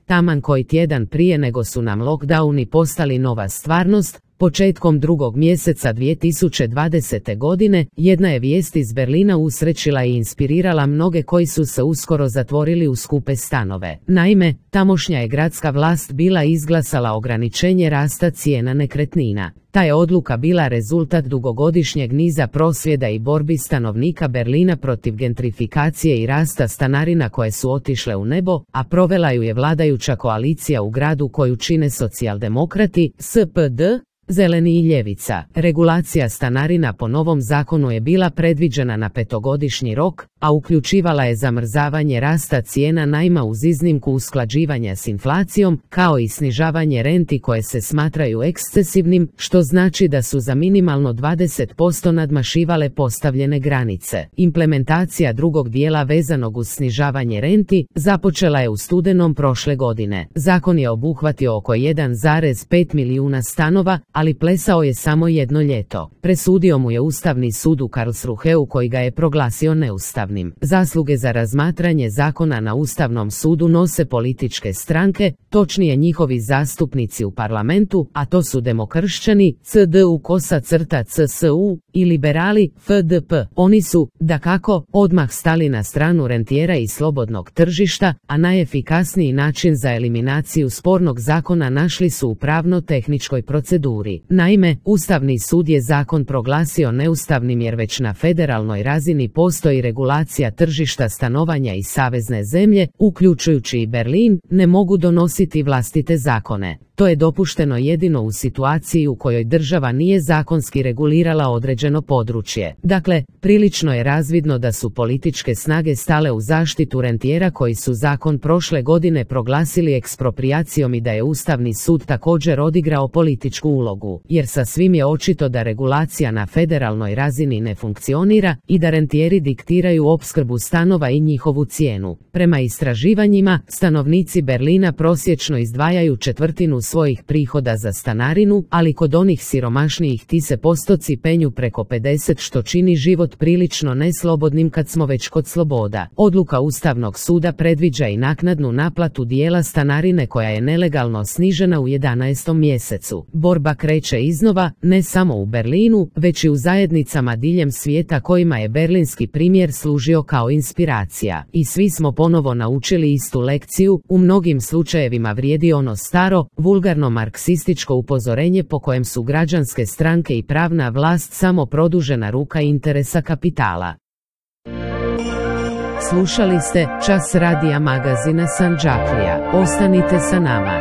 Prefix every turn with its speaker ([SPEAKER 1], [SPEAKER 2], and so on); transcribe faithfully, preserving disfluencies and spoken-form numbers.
[SPEAKER 1] taman koji tjedan prije nego su nam lockdowni postali nova stvarnost. Početkom drugog mjeseca dvije tisuće dvadesete. godine jedna je vijest iz Berlina usrećila i inspirirala mnoge koji su se uskoro zatvorili u skupe stanove. Naime, tamošnja je gradska vlast bila izglasala ograničenje rasta cijena nekretnina. Ta je odluka bila rezultat dugogodišnjeg niza prosvjeda i borbi stanovnika Berlina protiv gentrifikacije i rasta stanarina koje su otišle u nebo, a provela ju je vladajuća koalicija u gradu koju čine socijaldemokrati, S P D, Zeleni i ljevica. Regulacija stanarina po novom zakonu je bila predviđena na petogodišnji rok, a uključivala je zamrzavanje rasta cijena najma uz iznimku usklađivanja s inflacijom, kao i snižavanje renti koje se smatraju ekscesivnim, što znači da su za minimalno dvadeset posto nadmašivale postavljene granice. Implementacija drugog dijela vezanog uz snižavanje renti započela je u studenom prošle godine. Zakon je obuhvatio oko jedan zarez pet milijuna stanova, ali plesao je samo jedno ljeto. Presudio mu je Ustavni sud u Karlsruheu koji ga je proglasio neustavnim. Zasluge za razmatranje zakona na Ustavnom sudu nose političke stranke, točnije njihovi zastupnici u parlamentu, a to su demokršćani, C D U kosa crta C S U i liberali, F D P. Oni su, dakako, odmah stali na stranu rentijera i slobodnog tržišta, a najefikasniji način za eliminaciju spornog zakona našli su u pravno-tehničkoj proceduri. Naime, Ustavni sud je zakon proglasio neustavnim jer već na federalnoj razini postoji regulacija tržišta stanovanja i savezne zemlje, uključujući i Berlin, ne mogu donositi vlastite zakone. To je dopušteno jedino u situaciji u kojoj država nije zakonski regulirala određeno područje. Dakle, prilično je razvidno da su političke snage stale u zaštitu rentijera koji su zakon prošle godine proglasili eksproprijacijom i da je Ustavni sud također odigrao političku ulogu, jer sasvim je očito da regulacija na federalnoj razini ne funkcionira i da rentijeri diktiraju opskrbu stanova i njihovu cijenu. Prema istraživanjima, stanovnici Berlina prosječno izdvajaju četvrtinu svojih prihoda za stanarinu, ali kod onih siromašnijih ti se postoci penju preko pedeset što čini život prilično neslobodnim kad smo već kod sloboda. Odluka Ustavnog suda predviđa i naknadnu naplatu dijela stanarine koja je nelegalno snižena u jedanaestom mjesecu. Borba kreće iznova, ne samo u Berlinu, već i u zajednicama diljem svijeta kojima je berlinski primjer služio kao inspiracija. I svi smo ponovo naučili istu lekciju, u mnogim slučajevima vrijedi ono staro, vulgarno marksističko upozorenje po kojem su građanske stranke i pravna vlast samo produžena ruka interesa kapitala. Slušali ste Čas radija magazina Sandžaklija. Ostanite sa nama.